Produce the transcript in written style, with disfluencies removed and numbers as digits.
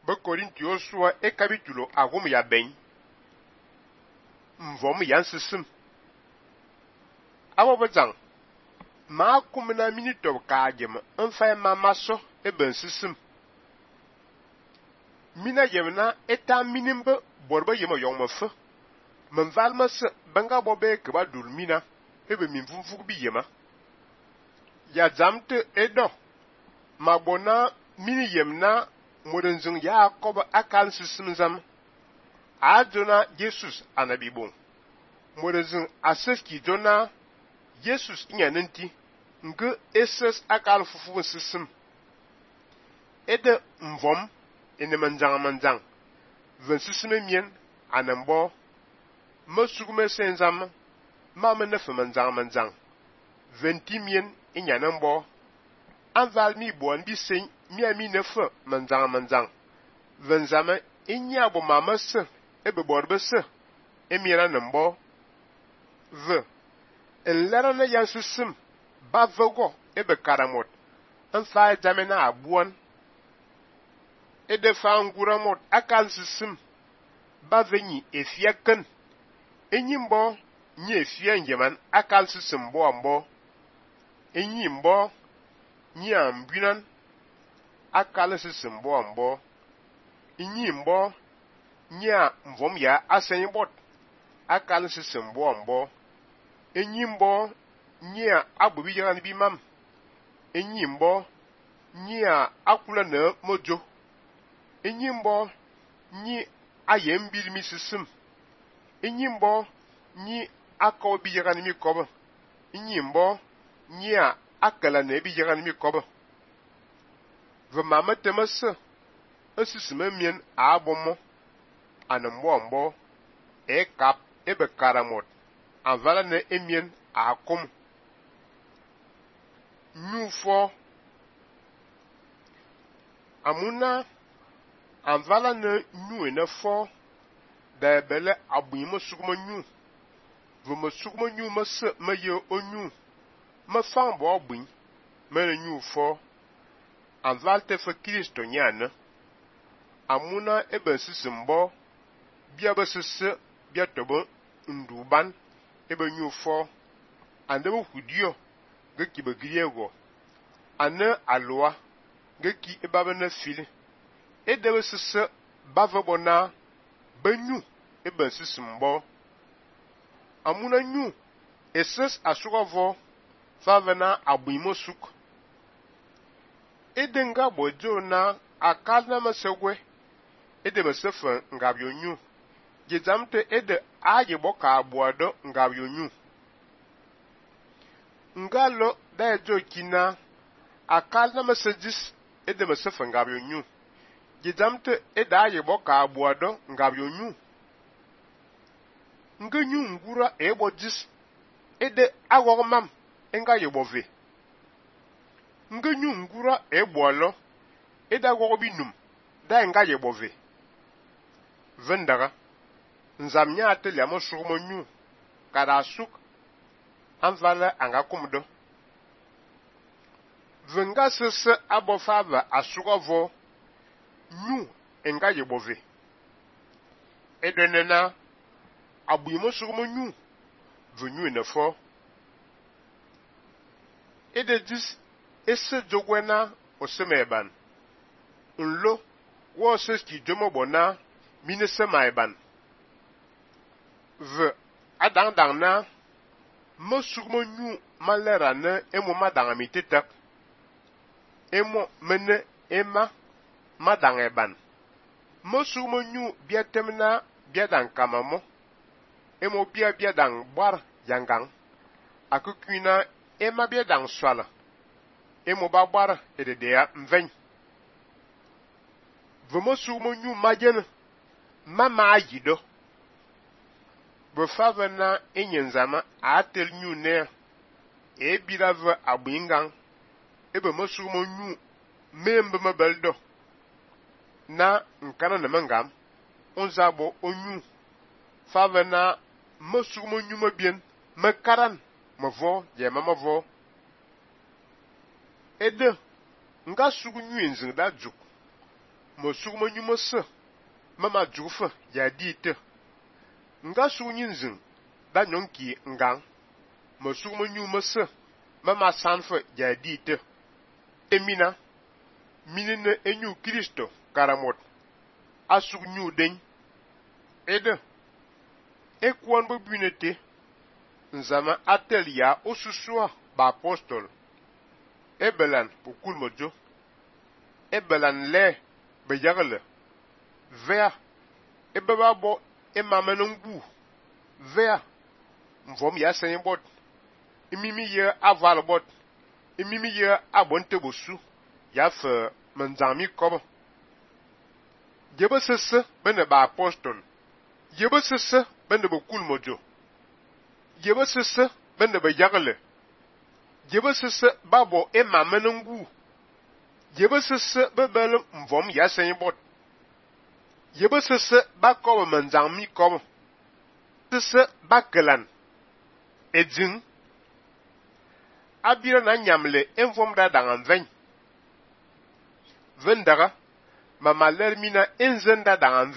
Be Korintio sua e capítulo agum ya bem. Mvom yan sisim. Abo bezang. Ma kumna minito ka jem nfa ma maso e ben sisim. Mina yemna eta minimbe borba yema yong fe. Men valma se banga bobe ke ba dul mina e be min funfuk bi yema. Ya zamte edo. Ma bona mini yemna modenzung ya koba akan sisim zam. Adona Jesus anabi bon. Modenzung aseski dona Jesus inyanenti nge eses akal fufu sisim. Ede mvom ene manjang. Ven sisime mien anembo. Mesugume senzam ma menefe manjang. Venti mien inyanembo. Anval mi boan bi sen mi ami nefe manjang. Venzame inyabo mama se ebe borbe se emiena nembo. Ve elera na yan sisim ba vego ebe karamot. Enfa jamena abuan. Ede fa nguramot akal sisim ba venyi efiaken. Enyimbo nye efia njeman akal sisim bo ambo. Enyimbo nye ambunan akal sisim bo ambo. Enyimbo nye mvom ya asenyibot akal sisim bo ambo. Enyimbo nye abubi yagan bi mam. Enyimbo nye akula ne mojo. Enyimbo nye ayembil mi sisim. Enyimbo nye akaw bi yagan mi kobo. Enyimbo nye akala ne bi yagan mi kobo. Ve mama temase esisime mien abomo anembo ambo e kap ebe karamot. Anvala ne emien akom. Nufo amuna anvala ne nu ene fo da bele abuimo sugmo nu. Ve me sugmo nu mese me ye onu. Me fambo abui me ne nu fo. Anval te fe Kristo nyane. Amuna ebe sisimbo bia besese bia tobo nduban ebe nu fo. Andebe hudio geki be griego. Ane aloa geki ebabe na fili. Edebe sese bavebona benyu ebe sisimbo. Amuna nyu eses asugavo favena abuimo suk. Edenga bojo na akal na masegwe. Edebe sefe ngabyo nyu. Gizamte ede aje boka abuado ngabyo nyu. Ngalo da ejo kina akal na masajis edebe sefe ngabyo nyu. Gizamte ede aje boka abuado ngabyo nyu. Ngenyu ngura ebo jis ede agwagmam enga yebove. Ngenyu ngura ebo alo ede agwagobinum da enga yebove. Vendaga nzamnya ateli amo sugmo nyu kada suk anvala anga kumdo. Venga sese abofava asugavo nyu enga yebove. Edenena abuimo sugmo nyu venyu enefo. Ede dis ese jogwena osemeban. Nlo wo seski jomo bona mine semaiban. Ve adang na mo sugmo nyu malera ne emo madanga mitetak. Emo mene ema madangeban. Mo sugmo nyu biatemna biadang kamamo. Emo biadang bar yangang. Akukuna ema biadang swala. Emo babar ededea mveny. Vemo sugmo nyu majene. Mama ayido. Befave na enyenzama atel nyu ne. Ebirave abuingang. Ebe mo sugmo nyu membe mebeldo. Na nkana na mengam. Onzabo onyu. Fave na mo sugmo nyu mebien. Mekaran. Mevo yema mevo. Ede nga sugu nyu enzing da juk. Mosuk ma nyu mose mama jufa ya dite nga su nyin zin da nyonki ngang mosuk ma nyu mose mama sanfa ya dite emina minine enyu Kristo karamot asuk nyu den ede ekwon bo bunete nzama atel ya osusua ba apostol ebelan bukul mojo ebelan le beyagle vea ebeba bo emamenungu vea mvom ya senbot imimi ye aval bot imimi ye abonte bosu ya fe manzami kobo yebe sese bene ba apostol yebe sese bene bukul mojo yebe sese bene beyagle yebe sese babo emamenungu yebe sese bebele mvom ya senbot yebe sese ba kobo manzami kobo sese bakelan edzin abira na nyamle envom da dangan vendaga mama lermina enzenda dangan